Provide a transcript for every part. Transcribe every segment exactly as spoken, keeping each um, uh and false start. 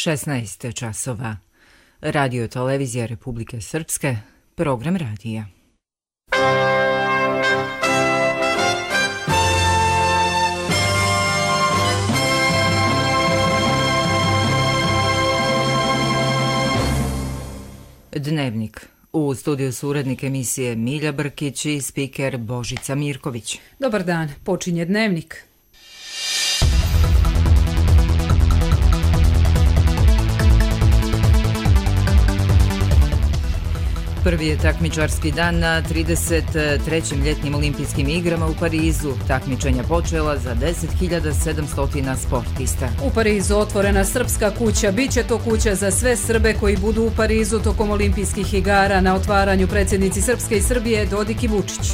šesnaest časova. Radio televizija Republike Srpske, program radija. Dnevnik. U studiju su urednik emisije Milja Brkić i spiker Božica Mirković. Dobar dan, počinje Dnevnik. Prvi je takmičarski dan na trideset trećim ljetnim olimpijskim igrama u Parizu. Takmičenja počela za deset hiljada sedamsto sportista. U Parizu otvorena srpska kuća. Biće to kuća za sve Srbe koji budu u Parizu tokom olimpijskih igara. Na otvaranju predsjednici Srpske i Srbije Dodik i Vučić.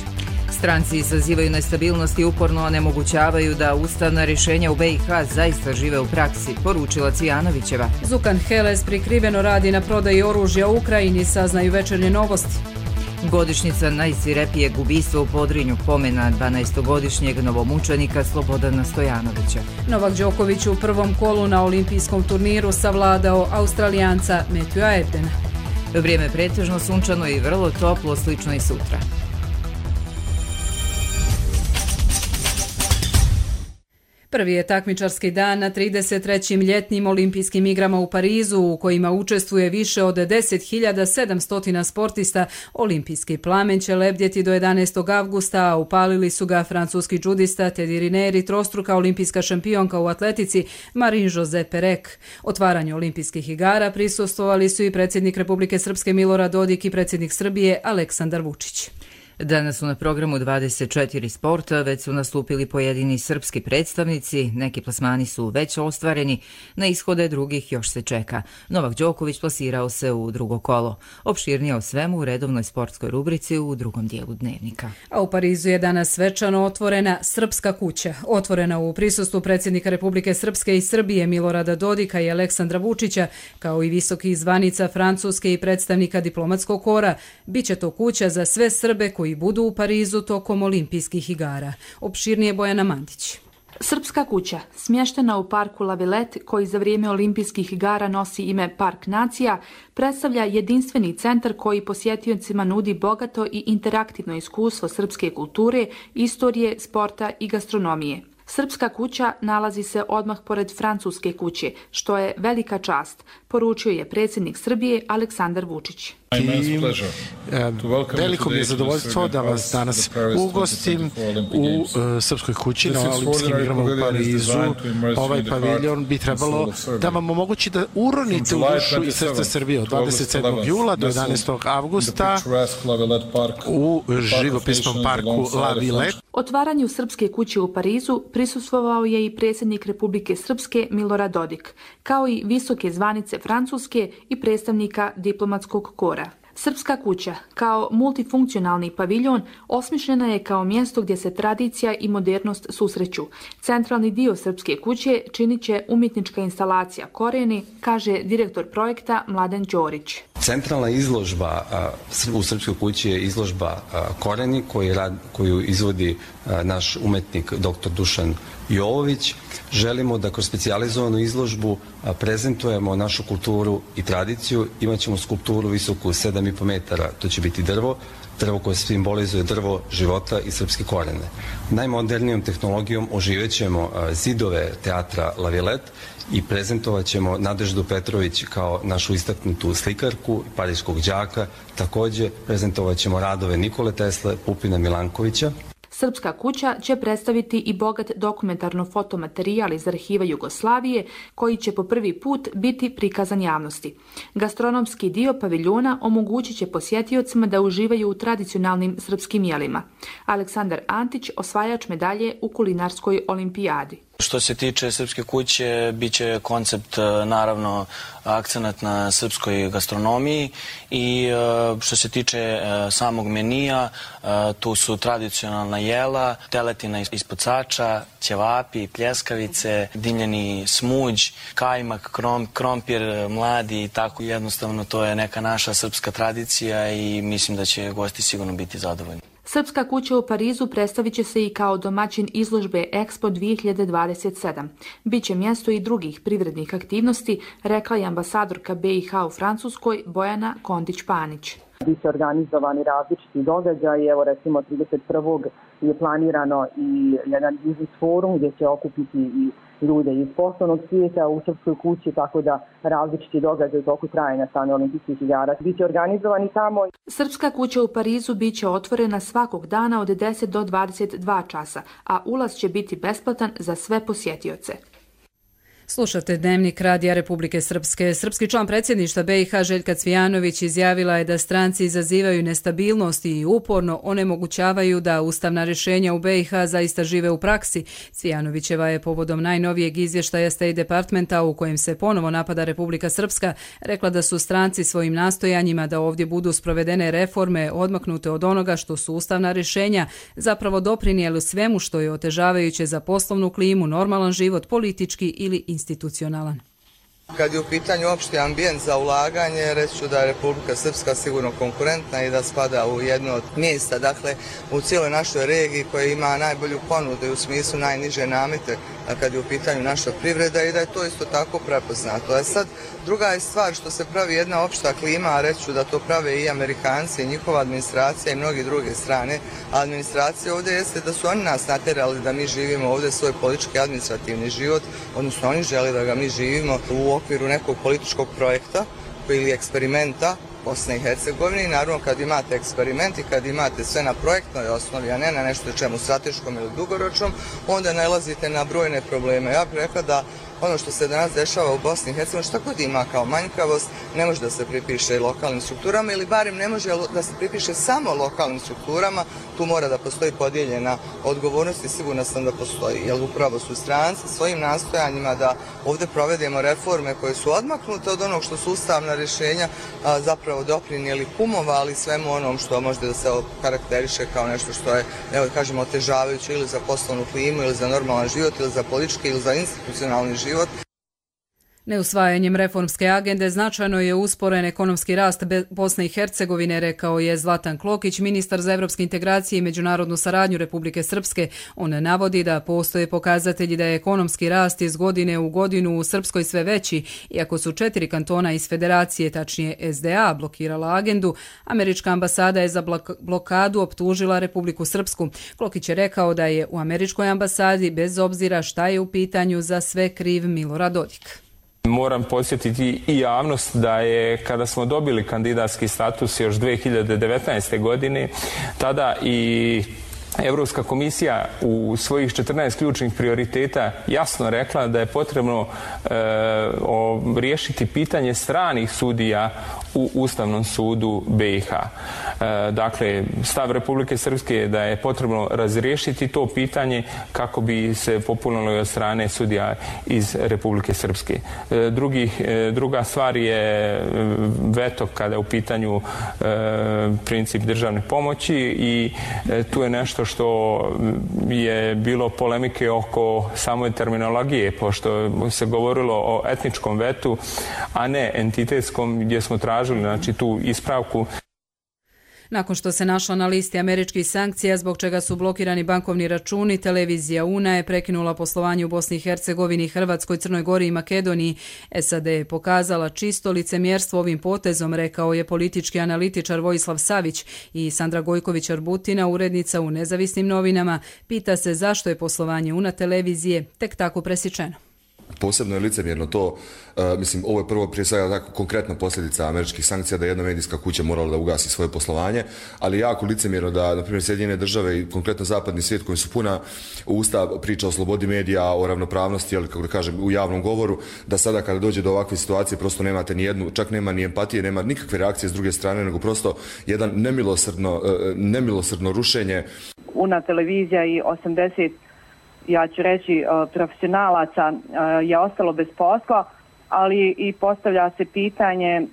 Stranci izazivaju nestabilnost i uporno onemogućavaju da ustavna rješenja u B i H zaista žive u praksi, poručila Cvijanovićeva. Zukan Heles prikriveno radi na prodaji oružja u Ukrajini, saznaju Večernje novosti. Godišnjica najsvirepijeg ubistva u Podrinju, pomena dvanaestogodišnjeg novomučenika Slobodana Stojanovića. Novak Đoković u prvom kolu na olimpijskom turniru savladao Australijanca Matthewa Ebdena. Vrijeme pretežno sunčano i vrlo toplo, slično i sutra. Prvi je takmičarski dan na trideset trećim ljetnim olimpijskim igrama u Parizu, u kojima učestvuje više od deset hiljada sedamsto sportista. Olimpijski plamen će lebdjeti do jedanaestog avgusta, a upalili su ga francuski džudista Teddy Riner i trostruka olimpijska šampionka u atletici Marie-José Pérec. Otvaranju olimpijskih igara prisustvovali su i predsjednik Republike Srpske Milorad Dodik i predsjednik Srbije Aleksandar Vučić. Danas su na programu dvadeset četiri sporta, već su nastupili pojedini srpski predstavnici, neki plasmani su već ostvareni, na ishode drugih još se čeka. Novak Đoković plasirao se u drugo kolo. Opširnije o svemu u redovnoj sportskoj rubrici u drugom dijelu Dnevnika. A u Parizu je danas svečano otvorena srpska kuća. Otvorena u prisustvu predsjednika Republike Srpske i Srbije Milorada Dodika i Aleksandra Vučića, kao i visokih zvanica Francuske i predstavnika diplomatskog kora. Biće to kuća za sve Srbe koji i budu u Parizu tokom olimpijskih igara. Opširnije Bojana Mandić. Srpska kuća, smještena u parku La Villette, koji za vrijeme olimpijskih igara nosi ime Park nacija, predstavlja jedinstveni centar koji posjetiocima nudi bogato i interaktivno iskustvo srpske kulture, istorije, sporta i gastronomije. Srpska kuća nalazi se odmah pored francuske kuće, što je velika čast, poručio je predsjednik Srbije Aleksandar Vučić. I, veliko mi je zadovoljstvo da vas danas ugostim u uh, Srpskoj kući na olimpijskim igrama u Parizu. Ovaj paviljon bi trebalo da vam omogući da uronite u dušu i srce Srbije od dvadeset sedmog jula do jedanaestog avgusta u živopisnom parku La Villette. Otvaranju Srpske kuće u Parizu prisustvovao je i predsjednik Republike Srpske Milorad Dodik, kao i visoke zvanice Francuske i predstavnika diplomatskog kora. Srpska kuća, kao multifunkcionalni paviljon, osmišljena je kao mjesto gdje se tradicija i modernost susreću. Centralni dio Srpske kuće činit će umjetnička instalacija Koreni, kaže direktor projekta Mladen Ćorić. Centralna izložba u Srpskoj kući je izložba Koreni koju, rad, koju izvodi naš umetnik doktor Dušan Jovović. Želimo da kroz specijalizovanu izložbu prezentujemo našu kulturu i tradiciju. Imaćemo skulpturu visoku sedam i po metara, to će biti drvo, drvo koje simbolizuje drvo života i srpske korijene. Najmodernijom tehnologijom oživećemo zidove teatra La Villette i prezentovat ćemo Nadeždu Petrović kao našu istaknutu slikarku i parijskog đaka. Također prezentovat ćemo radove Nikole Tesle, Pupina Milankovića. Srpska kuća će predstaviti i bogat dokumentarno fotomaterijal iz arhiva Jugoslavije, koji će po prvi put biti prikazan javnosti. Gastronomski dio paviljona omogućit će posjetiocima da uživaju u tradicionalnim srpskim jelima. Aleksandar Antić, osvajač medalje u kulinarskoj olimpijadi. Što se tiče Srpske kuće, bit će koncept, naravno, akcenat na srpskoj gastronomiji i što se tiče samog menija, tu su tradicionalna jela, teletina ispod sača, ćevapi, pljeskavice, dimljeni smuđ, kajmak, krom, krompir, mladi i tako. Jednostavno, to je neka naša srpska tradicija i mislim da će gosti sigurno biti zadovoljni. Srpska kuća u Parizu predstavit će se i kao domaćin izložbe Expo dvije hiljade dvadeset sedam. Biće mjesto i drugih privrednih aktivnosti, rekla je ambasadorka B i H u Francuskoj Bojana Kondić-Panić. Biće organizovani različiti događaji, evo recimo trideset prvog je planirano i jedan biznis forum gdje će okupiti i ljude iz poslovnog svijeta u Srpskoj kući, tako da različiti događaji u toku trajanja same olimpijskih igara biće organizovani tamo. Srpska kuća u Parizu biće otvorena svakog dana od deset do dvadeset dva časa, a ulaz će biti besplatan za sve posjetioce. Slušate Dnevnik Radija Republike Srpske. Srpski član predsjedništva B i H Željka Cvijanović izjavila je da stranci izazivaju nestabilnost i uporno onemogućavaju da ustavna rješenja u B i H zaista žive u praksi. Cvijanovićeva je povodom najnovijeg izvještaja State Departmenta u kojem se ponovo napada Republika Srpska rekla da su stranci svojim nastojanjima da ovdje budu sprovedene reforme odmaknute od onoga što su ustavna rješenja zapravo doprinijeli svemu što je otežavajuće za poslovnu klimu, normalan život, politički ili institucionalan. Kad je u pitanju opšti ambijent za ulaganje, reći ću da je Republika Srpska sigurno konkurentna i da spada u jedno od mjesta, dakle u cijeloj našoj regiji koja ima najbolju ponudu i u smislu najniže namete kad je u pitanju naša privreda i da je to isto tako prepoznato. A sad druga je stvar što se pravi jedna opšta klima, a reći ću da to prave i Amerikanci, i njihova administracija i mnogi druge strane. A administracija ovdje jeste da su oni nas natjerali da mi živimo ovdje svoj politički administrativni život, odnosno oni žele da ga mi živimo u okviru nekog političkog projekta ili eksperimenta Bosne i Hercegovine i naravno kad imate eksperiment i kad imate sve na projektnoj osnovi, a ne na nešto čemu strateškom ili dugoročnom, onda nalazite na brojne probleme. Ja bih rekla da ono što se danas dešava u Bosni i Hercegovini, šta god ima kao manjkavost, ne može da se pripiše lokalnim strukturama ili barem ne može da se pripiše samo lokalnim strukturama, tu mora da postoji podijeljena odgovornost i sigurno sam da postoji, jer upravo su stranci svojim nastojanjima da ovdje provedemo reforme koje su odmaknute od onog što su ustavna rješenja a, zapravo doprinijeli kumovali svemu onom što može da se karakteriše kao nešto što je, evo kažemo, otežavajuće ili za poslovnu klimu ili za normalan život ili za politički ili za institucionalni život. Neusvajanjem reformske agende značajno je usporen ekonomski rast Bosne i Hercegovine, rekao je Zlatan Klokić, ministar za evropske integracije i međunarodnu saradnju Republike Srpske. On navodi da postoje pokazatelji da je ekonomski rast iz godine u godinu u Srpskoj sve veći, iako su četiri kantona iz federacije, tačnije S D A, blokirala agendu. Američka ambasada je za blokadu optužila Republiku Srpsku. Klokić je rekao da je u američkoj ambasadi, bez obzira šta je u pitanju, za sve kriv Milorad Dodik. Moram podsjetiti i javnost da je kada smo dobili kandidatski status još dvije hiljade devetnaeste. godine, tada i Evropska komisija u svojih četrnaest ključnih prioriteta jasno rekla da je potrebno e, o, riješiti pitanje stranih sudija u Ustavnom sudu B i H. E, dakle, stav Republike Srpske je da je potrebno razriješiti to pitanje kako bi se popunilo od strane sudija iz Republike Srpske. E, drugi, e, druga stvar je veto kada je u pitanju e, princip državne pomoći i e, tu je nešto što je bilo polemike oko samoj terminologije, pošto se govorilo o etničkom vetu, a ne entitetskom, gdje smo tražili znači, tu ispravku. Nakon što se našla na listi američkih sankcija, zbog čega su blokirani bankovni računi, televizija UNA je prekinula poslovanje u Bosni i Hercegovini, Hrvatskoj, Crnoj Gori i Makedoniji. S A D je pokazala čisto licemjerstvo ovim potezom, rekao je politički analitičar Vojislav Savić, i Sandra Gojković-Arbutina, urednica u Nezavisnim novinama, pita se zašto je poslovanje UNA televizije tek tako presječeno. Posebno je licemjerno to, uh, mislim, ovo je prvo prije svega tako konkretna posljedica američkih sankcija da jedna medijska kuća morala da ugasi svoje poslovanje, ali jako licemjerno da, na primjer, Sjedinjene države i konkretno zapadni svijet koji su puna usta priča o slobodi medija, o ravnopravnosti, ali kako da kažem, u javnom govoru, da sada kada dođe do ovakve situacije prosto nemate ni jednu, čak nema ni empatije, nema nikakve reakcije s druge strane, nego prosto jedan nemilosrdno, uh, nemilosrdno rušenje. UNA televizija i osamdeset ja ću reći, profesionalaca je ostalo bez posla, ali i postavlja se pitanje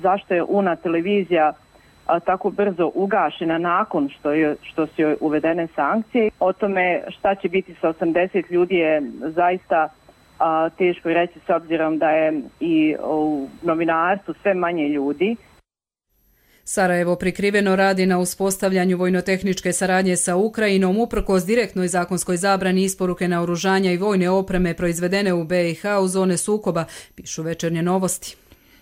zašto je UNA televizija tako brzo ugašena nakon što, je, što su joj uvedene sankcije. O tome šta će biti sa osamdeset ljudi je zaista teško reći s obzirom da je i u novinarstvu sve manje ljudi. Sarajevo prikriveno radi na uspostavljanju vojnotehničke saradnje sa Ukrajinom uprkos direktnoj zakonskoj zabrani isporuke naoružanja i vojne opreme proizvedene u B i H u zone sukoba, pišu Večernje novosti.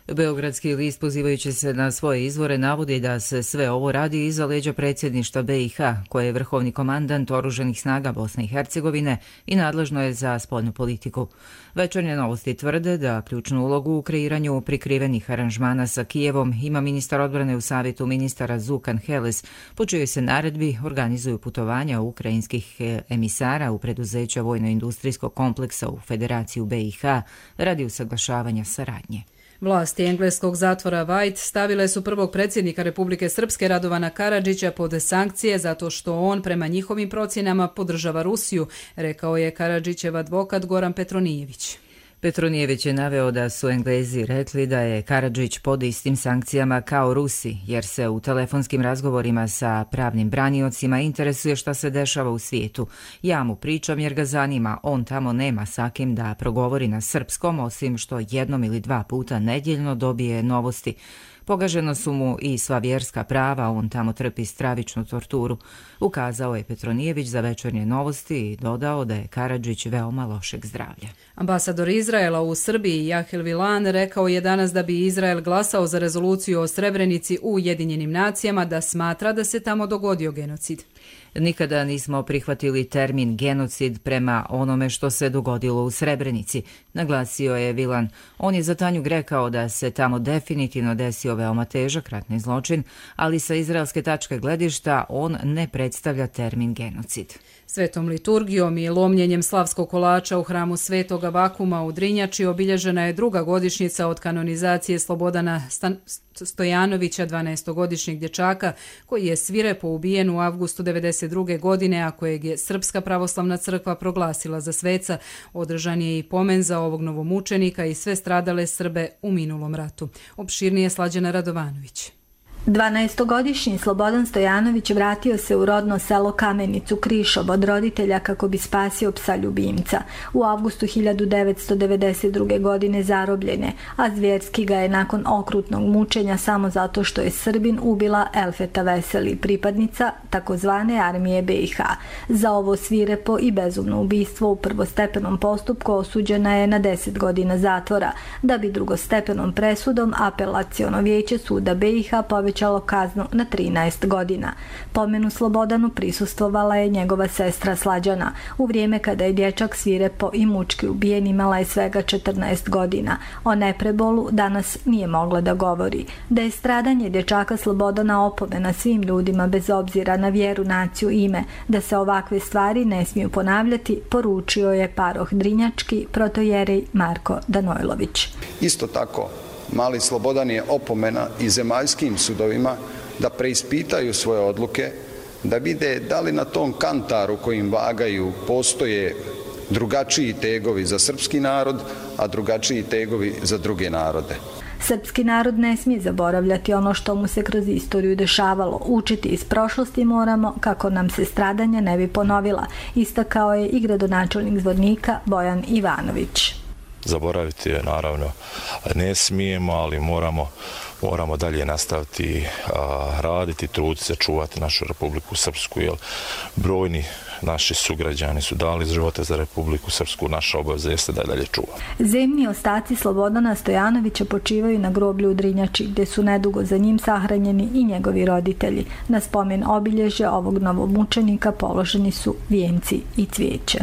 Beogradski list, pozivajući se na svoje izvore, navodi da se sve ovo radi iza leđa predsjedništva B i H, koje je vrhovni komandant oružanih snaga Bosne i Hercegovine i nadležno je za spoljnu politiku. Večernje novosti tvrde da ključnu ulogu u kreiranju prikrivenih aranžmana sa Kijevom ima ministar odbrane u savjetu ministara Zukan Heles, po čijoj se naredbi organizuju putovanja ukrajinskih emisara u preduzeća vojno-industrijskog kompleksa u Federaciju B i H radi usaglašavanja saradnje. Vlasti engleskog zatvora White stavile su prvog predsjednika Republike Srpske Radovana Karadžića pod sankcije zato što on prema njihovim procjenama podržava Rusiju, rekao je Karadžićev advokat Goran Petronijević. Petronijević je naveo da su Englezi rekli da je Karadžić pod istim sankcijama kao Rusi, jer se u telefonskim razgovorima sa pravnim braniocima interesuje šta se dešava u svijetu. Ja mu pričam jer ga zanima, on tamo nema sa kim da progovori na srpskom, osim što jednom ili dva puta nedjeljno dobije novosti. Pogaženo su mu i sva vjerska prava, on tamo trpi stravičnu torturu, ukazao je Petronijević za Večernje novosti i dodao da je Karadžić veoma lošeg zdravlja. Ambasador Izraela u Srbiji Jahel Vilan rekao je danas da bi Izrael glasao za rezoluciju o Srebrenici u Ujedinjenim nacijama, da smatra da se tamo dogodio genocid. Nikada nismo prihvatili termin genocid prema onome što se dogodilo u Srebrenici, naglasio je Vilan. On je za Tanjug rekao da se tamo definitivno desio veoma težak ratni zločin, ali sa izraelske tačke gledišta on ne predstavlja termin genocid. Svetom liturgijom i lomljenjem slavskog kolača u hramu Svetoga Vakuma u Drinjači obilježena je druga godišnjica od kanonizacije Slobodana Stan- Stojanovića, dvanaestogodišnjeg dječaka, koji je svirepo ubijen u avgustu devedeset druge godine, a kojeg je Srpska pravoslavna crkva proglasila za sveca. Održan je i pomen za ovog novomučenika i sve stradale Srbe u minulom ratu. Opširnije Slađana Radovanović. dvanaestogodišnji Slobodan Stojanović vratio se u rodno selo Kamenicu Krišob od roditelja kako bi spasio psa ljubimca. U avgustu hiljadu devetsto devedeset druge. godine zarobljen je, a zvjerski ga je nakon okrutnog mučenja samo zato što je Srbin ubila Elfeta Veseli, pripadnica takozvane armije B i H. Za ovo svirepo i bezumno ubistvo u prvostepenom postupku osuđena je na deset godina zatvora, da bi drugostepenom presudom apelaciono vijeće suda B i H povećalo kaznu na trinaest godina. Pomenu Slobodanu prisustvovala je njegova sestra Slađana. U vrijeme kada je dječak svirepo i mučki ubijen imala je svega četrnaest godina. O neprebolu danas nije mogla da govori. Da je stradanje dječaka Slobodana opomena svim ljudima bez obzira na vjeru, naciju, ime, da se ovakve stvari ne smiju ponavljati, poručio je paroh Drinjački protojerej Marko Danojlović. Isto tako, mali Slobodan je opomena i zemaljskim sudovima da preispitaju svoje odluke, da vide da li na tom kantaru kojim vagaju postoje drugačiji tegovi za srpski narod, a drugačiji tegovi za druge narode. Srpski narod ne smije zaboravljati ono što mu se kroz istoriju dešavalo. Učiti iz prošlosti moramo kako nam se stradanja ne bi ponovila, istakao je i gradonačelnik Zvornika Bojan Ivanović. Zaboraviti je naravno ne smijemo, ali moramo, moramo dalje nastaviti a, raditi, truditi se, čuvati našu Republiku Srpsku, jer brojni naši sugrađani su dali živote za Republiku Srpsku, naša obaveza jeste da je dalje čuvamo. Zemni ostaci Slobodana Stojanovića počivaju na groblju u Drinjači, gdje su nedugo za njim sahranjeni i njegovi roditelji. Na spomen obilježja ovog novomučenika položeni su vijenci i cvijeće.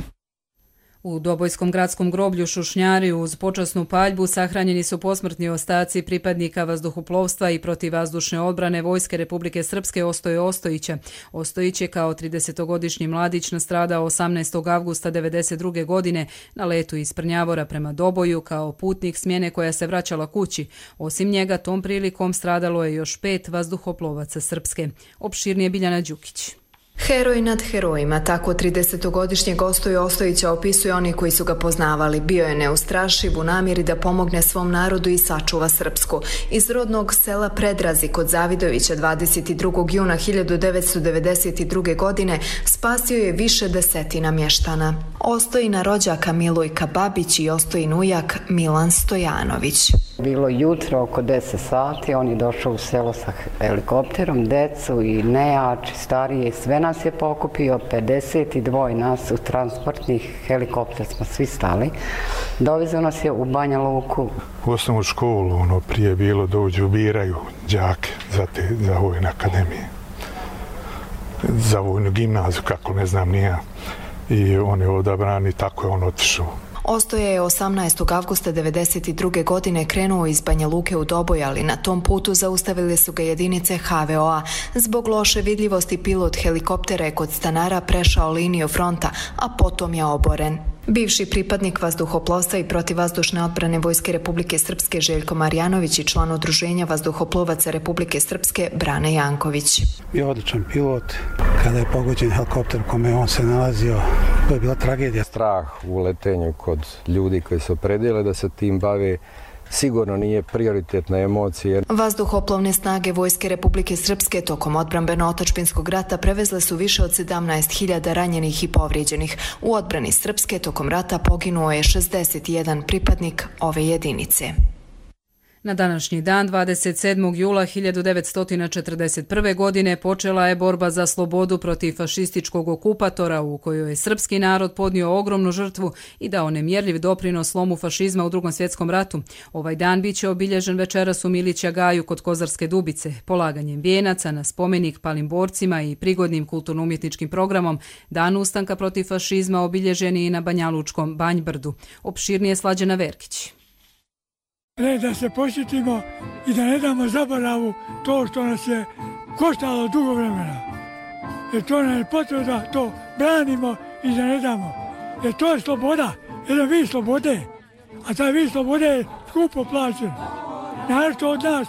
U Dobojskom gradskom groblju Šušnjari uz počasnu paljbu sahranjeni su posmrtni ostaci pripadnika vazduhoplovstva i protivvazdušne odbrane Vojske Republike Srpske Ostoje Ostojića. Ostojić je kao tridesetogodišnji mladić nastradao osamnaestog avgusta devedeset druge. godine na letu iz Prnjavora prema Doboju kao putnik smjene koja se vraćala kući. Osim njega tom prilikom stradalo je još pet vazduhoplovaca Srpske. Opširnije Biljana Đukić. Heroj nad herojima, tako tridesetogodišnjeg Ostoje Ostojića opisuju oni koji su ga poznavali. Bio je neustrašiv u namjeri da pomogne svom narodu i sačuva Srpsku. Iz rodnog sela Predrazi kod Zavidovića dvadeset drugog juna hiljadu devetsto devedeset druge. godine spasio je više desetina mještana. Ostojina rođaka Milojka Babić i Ostojin ujak Milan Stojanović. Bilo jutro oko deset sati, on je došao u selo sa helikopterom, decu i nejači, starije, sve nas je pokupio, pedeset dva nas u transportnih helikopter smo svi stali. Dovezao nas je u Banja Luku. U osnovnu školu, ono prije bilo dođu, biraju đake za, te, za vojne akademije. Za vojnu gimnaziju, kako ne znam ni ja. I on je odabran i tako je on otišao. Ostoja je osamnaestog avgusta devedeset druge godine krenuo iz Banja Luke u Doboj, ali na tom putu zaustavili su ga jedinice ha ve o a. Zbog loše vidljivosti pilot helikoptera je kod stanara prešao liniju fronta, a potom je oboren. Bivši pripadnik vazduhoplovstva i protivvazdušne odbrane Vojske Republike Srpske Željko Marjanović i član Udruženja vazduhoplovaca Republike Srpske Brane Janković. Bio odličan pilot. Kada je pogođen helikopter u kome on se nalazio, to je bila tragedija. Strah u letenju kod ljudi koji se opredijele da se tim bave sigurno nije prioritetna emocija. Vazduhoplovne snage Vojske Republike Srpske tokom odbrambeno-otadžbinskog rata prevezle su više od sedamnaest hiljada ranjenih i povrijeđenih. U odbrani Srpske tokom rata poginuo je šezdeset jedan pripadnik ove jedinice. Na današnji dan, dvadeset sedmog jula hiljadu devetsto četrdeset prve. godine, počela je borba za slobodu protiv fašističkog okupatora u kojoj je srpski narod podnio ogromnu žrtvu i dao nemjerljiv doprinos slomu fašizma u Drugom svjetskom ratu. Ovaj dan biće obilježen večeras u Milića Gaju kod Kozarske Dubice, polaganjem vijenaca na spomenik palim borcima i prigodnim kulturno-umjetničkim programom. Dan ustanka protiv fašizma obilježen je i na Banjalučkom Banjbrdu. Opširnije Slađana Verkić. Red da se posjetimo i da ne damo zaboravu to što nas je koštalo dugo vremena. Jer to nam je potrebno da to branimo i da ne damo. Jer to je sloboda, jedan vid slobode. A taj vid slobode je skupo plaćen. Naravno od nas,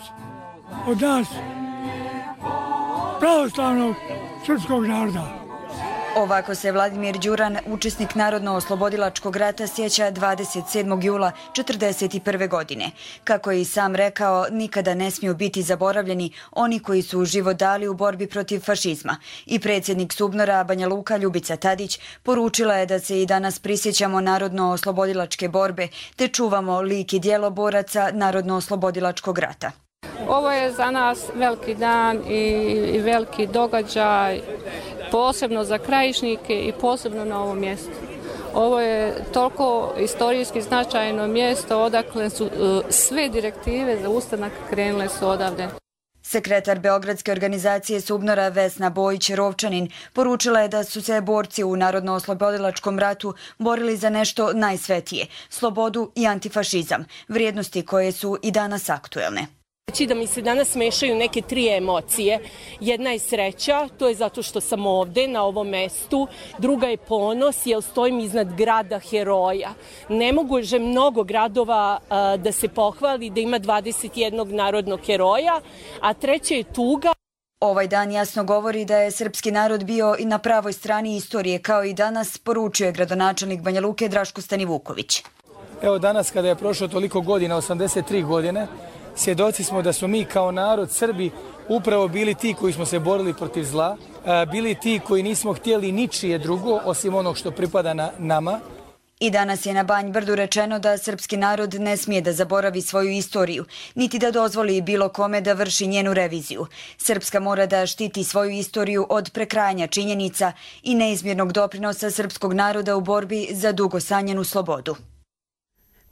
od nas, pravoslavnog srpskog naroda. Ovako se Vladimir Đuran, učesnik Narodno-oslobodilačkog rata, sjeća dvadeset sedmog jula četrdeset prve. godine. Kako je i sam rekao, nikada ne smiju biti zaboravljeni oni koji su život dali u borbi protiv fašizma. I predsjednik Subnora Banja Luka Ljubica Tadić poručila je da se i danas prisjećamo Narodno-oslobodilačke borbe te čuvamo lik i djelo boraca Narodno-oslobodilačkog rata. Ovo je za nas veliki dan i veliki događaj, posebno za Krajišnike i posebno na ovom mjestu. Ovo je toliko istorijski značajno mjesto odakle su sve direktive za ustanak krenule su odavde. Sekretar Beogradske organizacije Subnora Vesna Bojić-Rovčanin poručila je da su se borci u Narodno-oslobodilačkom ratu borili za nešto najsvetije, slobodu i antifašizam, vrijednosti koje su i danas aktuelne. Da mi se danas mešaju neke tri emocije. Jedna je sreća, to je zato što sam ovde na ovom mestu. Druga je ponos, jer stojim iznad grada heroja. Ne može mnogo gradova a, da se pohvali da ima dvadeset jednog narodnog heroja, a treća je tuga. Ovaj dan jasno govori da je srpski narod bio i na pravoj strani istorije, kao i danas, poručuje gradonačelnik Banja Luke Draško Stanivuković. Evo danas kada je prošlo toliko godina, osamdeset tri godine, svjedoci smo da smo mi kao narod Srbi upravo bili ti koji smo se borili protiv zla, bili ti koji nismo htjeli ničije drugo osim onog što pripada na nama. I danas je na Banjbrdu rečeno da srpski narod ne smije da zaboravi svoju istoriju, niti da dozvoli bilo kome da vrši njenu reviziju. Srpska mora da štiti svoju istoriju od prekrajanja činjenica i neizmjernog doprinosa srpskog naroda u borbi za dugo sanjenu slobodu.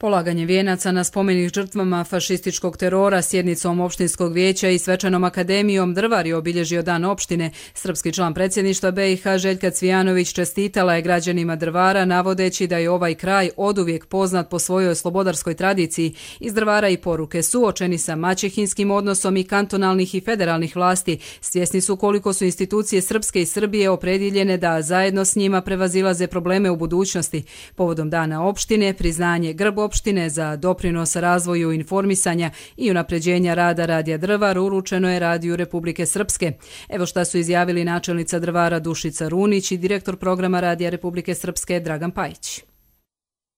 Polaganje vijenaca na spomenik žrtvama fašističkog terora sjednicom opštinskog vijeća i svečanom akademijom Drvar je obilježio dan opštine. Srpski član predsjedništva be i ha Željka Cvijanović čestitala je građanima Drvara navodeći da je ovaj kraj oduvijek poznat po svojoj slobodarskoj tradiciji. Iz Drvara i poruke suočeni sa maćehinskim odnosom i kantonalnih i federalnih vlasti. Svjesni su koliko su institucije Srpske i Srbije opredjeljene da zajedno s njima prevazilaze probleme u budućnosti. Povodom dana opštine priznanje grb opštine za doprinos razvoju informisanja i unapređenja rada Radija Drvar uručeno je Radiju Republike Srpske. Evo šta su izjavili načelnica Drvara Dušica Runić i direktor programa Radija Republike Srpske Dragan Pajić.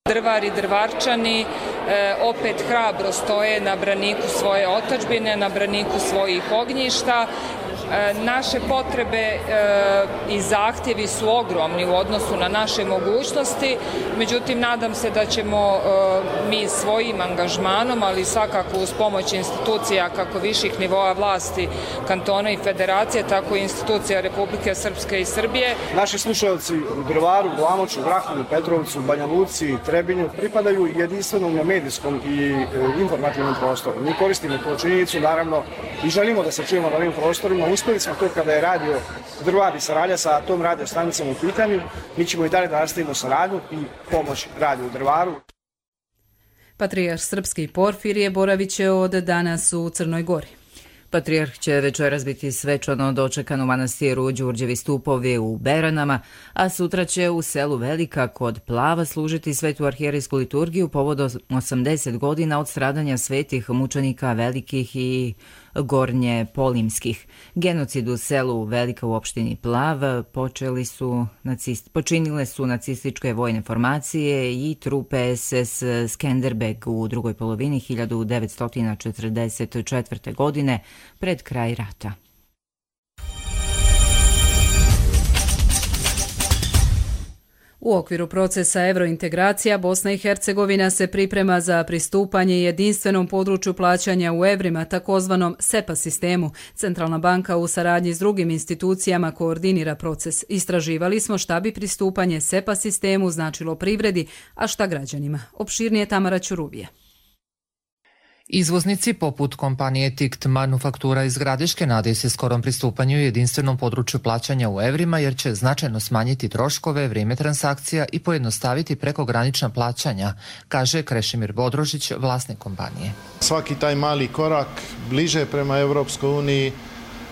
Drvar i Drvarčani e, opet hrabro stoje na braniku svoje otadžbine, na braniku svojih ognjišta Naše potrebe i zahtjevi su ogromni u odnosu na naše mogućnosti, međutim nadam se da ćemo mi svojim angažmanom, ali svakako uz pomoć institucija kako viših nivoa vlasti, kantona i federacije, tako i institucija Republike Srpske i Srbije. Naši slušalci u Drvaru, Glamoču, Vrahovu, Petrovcu, Banja Luci, Trebinju pripadaju jedinstvenom medijskom i informativnom prostoru. Mi koristimo tu činjenicu, naravno, i želimo da se čujemo na ovim prostorima. Uspeli smo to kada je radio Drvar i saradnja sa tom radio stanicom u pitanju. Mi ćemo i dalje da nastavimo saradnju i pomoć radio u Drvaru. Patrijarh srpski Porfirije boravit će od danas u Crnoj Gori. Patrijarh će večeras biti svečano dočekan u manastiru Đurđevi stupovi u Beranama, a sutra će u selu Velika kod Plava služiti svetu arhijerejsku liturgiju povodom osamdeset godina od stradanja svetih mučenika velikih i gornje polimskih. Genocid u selu Velika u opštini Plav počeli su nacist, počinile su nacističke vojne formacije i trupe es es Skenderbeg u drugoj polovini hiljadu devetsto četrdeset četvrte. godine pred kraj rata. U okviru procesa evrointegracija Bosna i Hercegovina se priprema za pristupanje jedinstvenom području plaćanja u evrima, takozvanom SEPA sistemu. Centralna banka u saradnji s drugim institucijama koordinira proces. Istraživali smo šta bi pristupanje SEPA sistemu značilo privredi, a šta građanima. Opširnije Tamara Ćuruvije. Izvoznici poput kompanije Tikt Manufaktura iz Gradiške nadaju se skorom pristupanju jedinstvenom području plaćanja u evrima jer će značajno smanjiti troškove, vrijeme transakcija i pojednostaviti prekogranična plaćanja, kaže Krešimir Bodrožić, vlasnik kompanije. Svaki taj mali korak bliže prema Europskoj uniji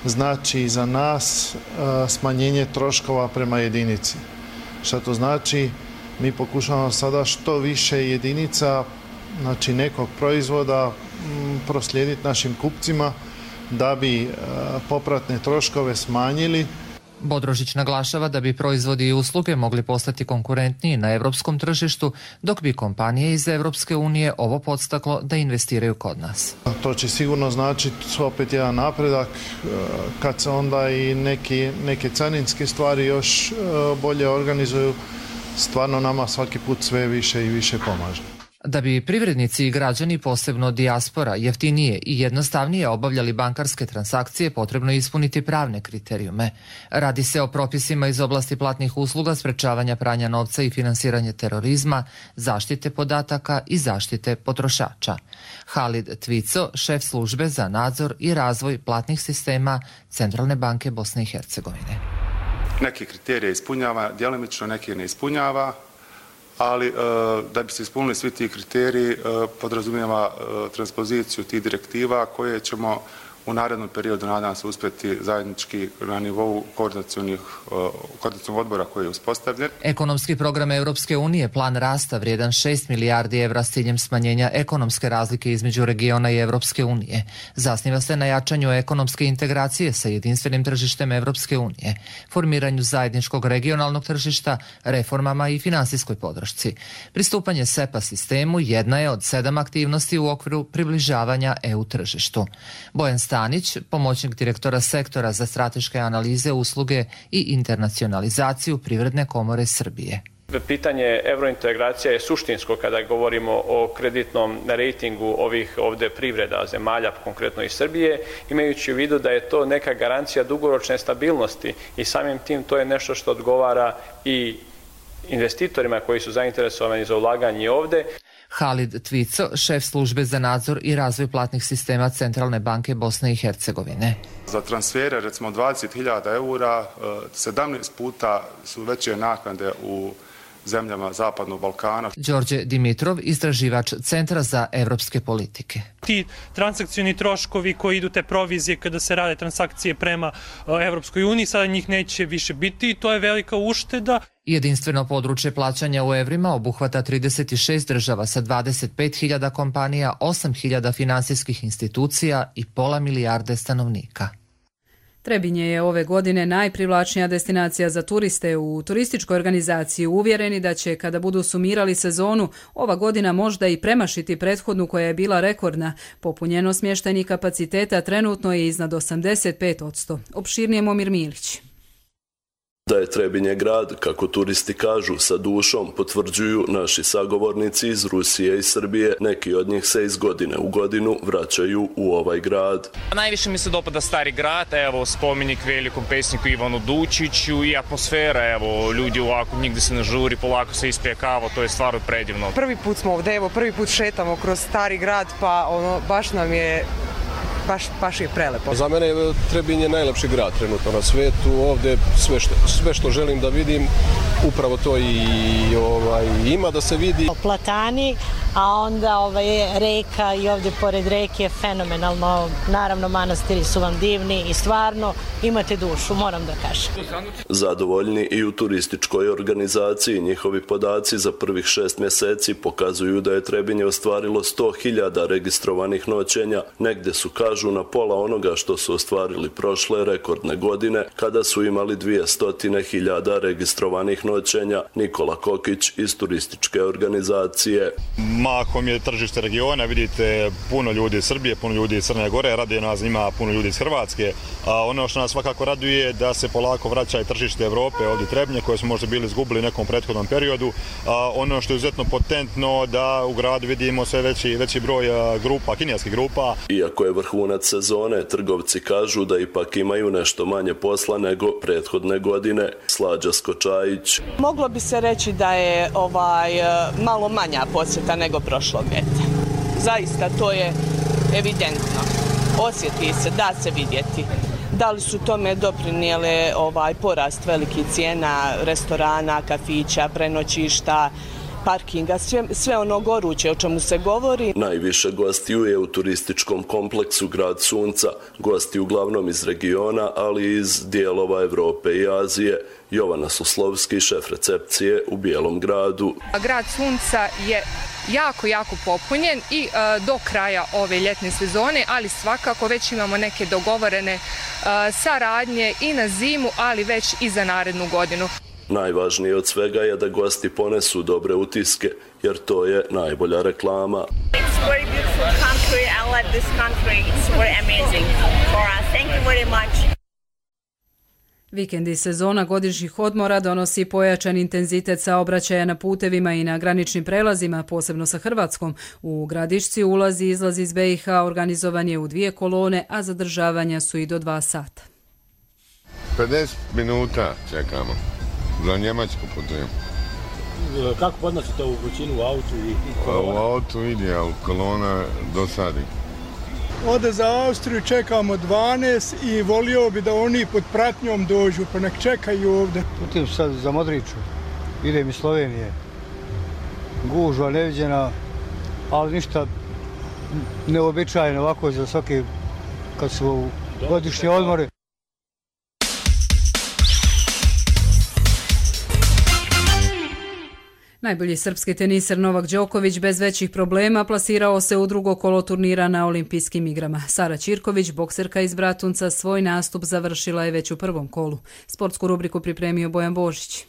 znači za nas smanjenje troškova prema jedinici. Šta to znači? Mi pokušavamo sada što više jedinica, znači nekog proizvoda, proslijediti našim kupcima da bi popratne troškove smanjili. Bodrožić naglašava da bi proizvodi i usluge mogli postati konkurentniji na europskom tržištu, dok bi kompanije iz Europske unije ovo podstaklo da investiraju kod nas. To će sigurno značiti opet jedan napredak kad se onda i neki, neke carinske stvari još bolje organizuju. Stvarno nama svaki put sve više i više pomaže. Da bi privrednici i građani, posebno dijaspora, jeftinije i jednostavnije obavljali bankarske transakcije, potrebno je ispuniti pravne kriterijume. Radi se o propisima iz oblasti platnih usluga, sprečavanja pranja novca i finansiranje terorizma, zaštite podataka i zaštite potrošača. Halid Tvico, šef službe za nadzor i razvoj platnih sistema Centralne banke Bosne i Hercegovine. Neki kriterije ispunjava, djelomično neki ne ispunjava, ali da bi se ispunili svi ti kriteriji podrazumijeva transpoziciju tih direktiva koje ćemo u narednom periodu nadam se uspjeti zajednički na nivou koordinacionih odbora koji je uspostavljen. Ekonomski program Europske unije, plan rasta vrijedan šest milijardi evra s ciljem smanjenja ekonomske razlike između regiona i Europske unije. Zasniva se na jačanju ekonomske integracije sa jedinstvenim tržištem Europske unije, formiranju zajedničkog regionalnog tržišta, reformama i finansijskoj podršci. Pristupanje SEPA sistemu jedna je od sedam aktivnosti u okviru približavanja E U tržištu. Bojan Stanić, pomoćnik direktora sektora za strateške analize, usluge i internacionalizaciju Privredne komore Srbije. Pitanje evrointegracija je suštinsko kada govorimo o kreditnom rejtingu ovih ovdje privreda zemalja, konkretno i Srbije, imajući u vidu da je to neka garancija dugoročne stabilnosti i samim tim to je nešto što odgovara i investitorima koji su zainteresovani za ulaganje ovdje. Halid Tvico, šef službe za nadzor i razvoj platnih sistema Centralne banke Bosne i Hercegovine. Za transfere, recimo dvadeset hiljada eura, sedamnaest puta su veće naknade u zemljama Zapadnog Balkana. Đorđe Dimitrov, istraživač Centra za evropske politike. Ti transakcioni troškovi koji idu te provizije kada se rade transakcije prema Evropskoj uniji, sada njih neće više biti i to je velika ušteda. Jedinstveno područje plaćanja u evrima obuhvata trideset šest država sa dvadeset pet hiljada kompanija, osam hiljada finansijskih institucija i pola milijarde stanovnika. Trebinje je ove godine najprivlačnija destinacija za turiste. U turističkoj organizaciji uvjereni da će, kada budu sumirali sezonu, ova godina možda i premašiti prethodnu koja je bila rekordna. Popunjenost smještajnih kapaciteta trenutno je iznad osamdeset pet posto. Opširnije Momir Milić. Da je Trebinje grad, kako turisti kažu, sa dušom, potvrđuju naši sagovornici iz Rusije i Srbije. Neki od njih se iz godine u godinu vraćaju u ovaj grad. Najviše mi se dopada Stari grad, evo spomenik velikom pesniku Ivanu Dučiću i atmosfera, evo ljudi ovako nigde se ne žuri, polako se ispije kava, to je stvarno predivno. Prvi put smo ovdje, evo prvi put šetamo kroz Stari grad, pa ono baš nam je Baš, baš je prelepo. Za mene je Trebinje najlepši grad trenutno na svetu. Ovdje sve što, sve što želim da vidim, upravo to i ovaj, ima da se vidi. Platani, a onda ovaj, reka i ovdje pored reke je fenomenalno. Naravno, manastiri su vam divni i stvarno imate dušu, moram da kažem. Zadovoljni i u turističkoj organizaciji. Njihovi podaci za prvih šest mjeseci pokazuju da je Trebinje ostvarilo sto hiljada registrovanih noćenja. Negde su, kažu, na pola onoga što su ostvarili prošle rekordne godine, kada su imali dvjesto hiljada registrovanih noćenja. Nikola Kokić iz turističke organizacije. Mahom je tržište regiona, vidite puno ljudi iz Srbije, puno ljudi iz Crne Gore, radije nas ima puno ljudi iz Hrvatske. A ono što nas svakako raduje je da se polako vraća i tržište Evrope, ovdje Trebinje, koje smo možda bili izgubili u nekom prethodnom periodu. A ono što je izuzetno potentno da u gradu vidimo sve veći, veći broj grupa, kineskih grupa. Iako je vrhunac sezone, trgovci kažu da ipak imaju nešto manje posla nego prethodne godine. Slađa Skočajić. Moglo bi se reći da je ovaj malo manja posjeta nego prošlog ljeta. Zaista to je evidentno. Osjeti se, da se vidjeti. Da li su tome doprinijele ovaj porast velikih cijena restorana, kafića, prenoćišta, parkinga, sve, sve ono goruće o čemu se govori. Najviše gostiju je u turističkom kompleksu Grad Sunca. Gosti uglavnom iz regiona, ali i iz dijelova Evrope i Azije. Jovana Suslovski, šef recepcije u Bijelom gradu. Grad Sunca je jako, jako popunjen i uh, do kraja ove ljetne sezone, ali svakako već imamo neke dogovorene uh, saradnje i na zimu, ali već i za narednu godinu. Najvažnije od svega je da gosti ponesu dobre utiske, jer to je najbolja reklama. Vikend i sezona godišnjih odmora donosi pojačan intenzitet saobraćaja na putevima i na graničnim prelazima, posebno sa Hrvatskom. U Gradišci ulazi i izlazi iz be i ha organizovan je u dvije kolone, a zadržavanja su i do dva sata. pedeset minuta čekamo. Za Njemačku putujem. Kako podnosite ovu vrućinu u autu? I u autu ide, ali kolona dosadi. Ode za Austriju čekamo dvanaest i volio bi da oni pod pratnjom dođu, pa nek čekaju ovdje. Putujem sad za Modriću, idem iz Slovenije. Gužva neviđena, ali ništa neobičajno ovako za svaki, kad su godišnje odmore. Najbolji srpski teniser Novak Đoković bez većih problema plasirao se u drugo kolo turnira na Olimpijskim igrama. Sara Ćirković, bokserka iz Bratunca, svoj nastup završila je već u prvom kolu. Sportsku rubriku pripremio Bojan Božić.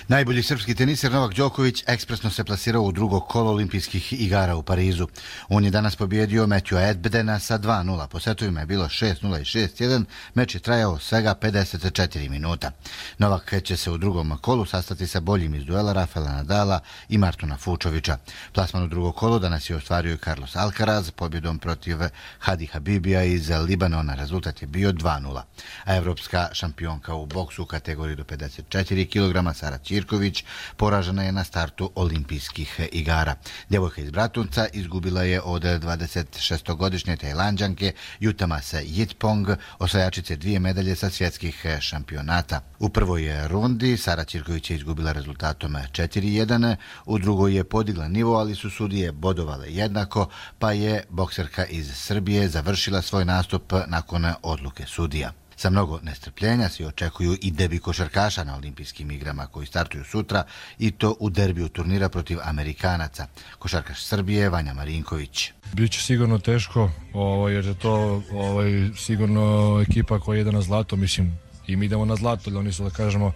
Najbolji srpski teniser Novak Đoković ekspresno se plasirao u drugo kolo Olimpijskih igara u Parizu. On je danas pobjedio Matthewa Edbedena sa dva nula. Po setovima je bilo šest nula i šest jedan. Meč je trajao svega pedeset četiri minuta. Novak će se u drugom kolu sastati sa boljim iz duela Rafaela Nadala i Martona Fučovića. Plasman u drugo kolo danas je ostvario i Carlos Alcaraz pobjedom protiv Hadi Habibija iz Libanona. Rezultat je bio dva nula. A evropska šampionka u boksu u kategoriji do pedeset četiri kilograma Sara Ćirković poražena je na startu Olimpijskih igara. Djevojka iz Bratunca izgubila je od dvadesetšestogodišnje Tajlanđanke Jutamase Yitpong, osvajačice dvije medalje sa svjetskih šampionata. U prvoj rundi Sara Ćirković je izgubila rezultatom četiri jedan, u drugoj je podigla nivo, ali su sudije bodovale jednako, pa je bokserka iz Srbije završila svoj nastup nakon odluke sudija. Sa mnogo nestrpljenja se očekuju i debi košarkaša na olimpijskim igrama koji startuju sutra i to u derbiju turnira protiv Amerikanaca. Košarkaš Srbije Vanja Marinković. Biće sigurno teško, ovaj, jer je to ovaj, sigurno ekipa koja ide na zlato, mislim i mi idemo na zlato, ali oni su, da kažemo,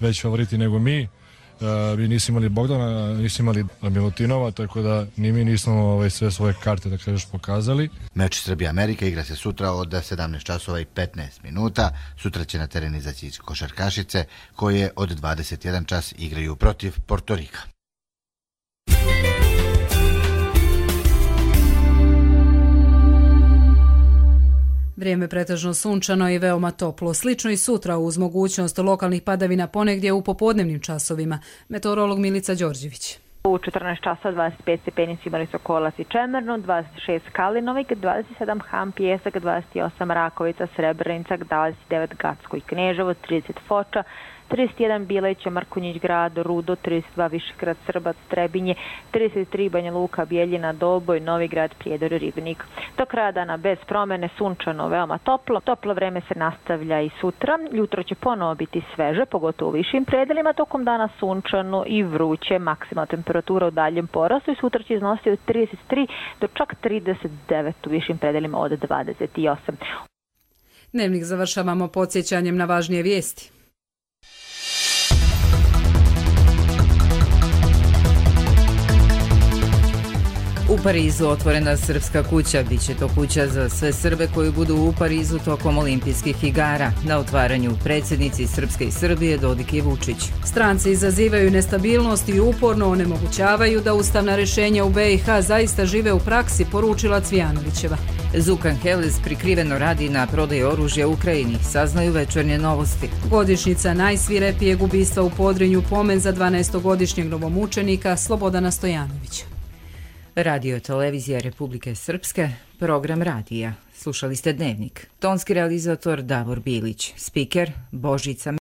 već favoriti nego mi. Uh, mi nismo imali Bogdana, nismo imali Milutinova, tako da ni mi nismo ovaj, sve svoje karte, da kažeš, pokazali. Meč Srbija-Amerika igra se sutra od sedamnaest časova i petnaest minuta. Sutra će na teren izaći košarkašice koje od dvadeset jedan čas igraju protiv Portorika. Vrijeme pretežno sunčano i veoma toplo. Slično i sutra uz mogućnost lokalnih padavina ponegdje u popodnevnim časovima. Meteorolog Milica Đorđević. U četrnaest časa dvadeset pet stepeni imali su Kolac i Čemerno, dvadeset šest Kalinovik, dvadeset sedam Ham, Pijesak, dvadeset osam Rakovica, Srebrenica, dvadeset devet Gacko i Kneževo, trideset Foča, trideset jedan Bileća, Mrkonjić grad, Rudo, trideset dva Višegrad, Srbac, Trebinje, trideset tri Banja Luka, Bijeljina, Doboj, Novigrad, Prijedor, Ribnik. Do kraja dana bez promene, sunčano, veoma toplo. Toplo vreme se nastavlja i sutra. Jutro će ponovo biti sveže, pogotovo u višim predelima, tokom dana sunčano i vruće. Maksimalna temperatura u daljem porastu i sutra će iznositi od trideset tri do čak trideset devet u višim predelima od dvadeset osam. Dnevnik završavamo podsjećanjem na važnije vijesti. U Parizu otvorena srpska kuća. Biće to kuća za sve Srbe koji budu u Parizu tokom olimpijskih igara. Na otvaranju predsjednici Srpske i Srbije Dodik i Vučić. Stranci izazivaju nestabilnost i uporno onemogućavaju da ustavna rješenja u B i H zaista žive u praksi, poručila Cvijanovićeva. Zukan Heles prikriveno radi na prodaji oružja Ukrajini, saznaju Večernje novosti. Godišnjica najsvirepijeg ubistva u Podrinju, pomen za dvanaestogodišnjeg novomučenika Slobodana Stojanovića. Radio televizija Republike Srpske, program radija. Slušali ste Dnevnik. Tonski realizator Davor Bilić, spiker Božica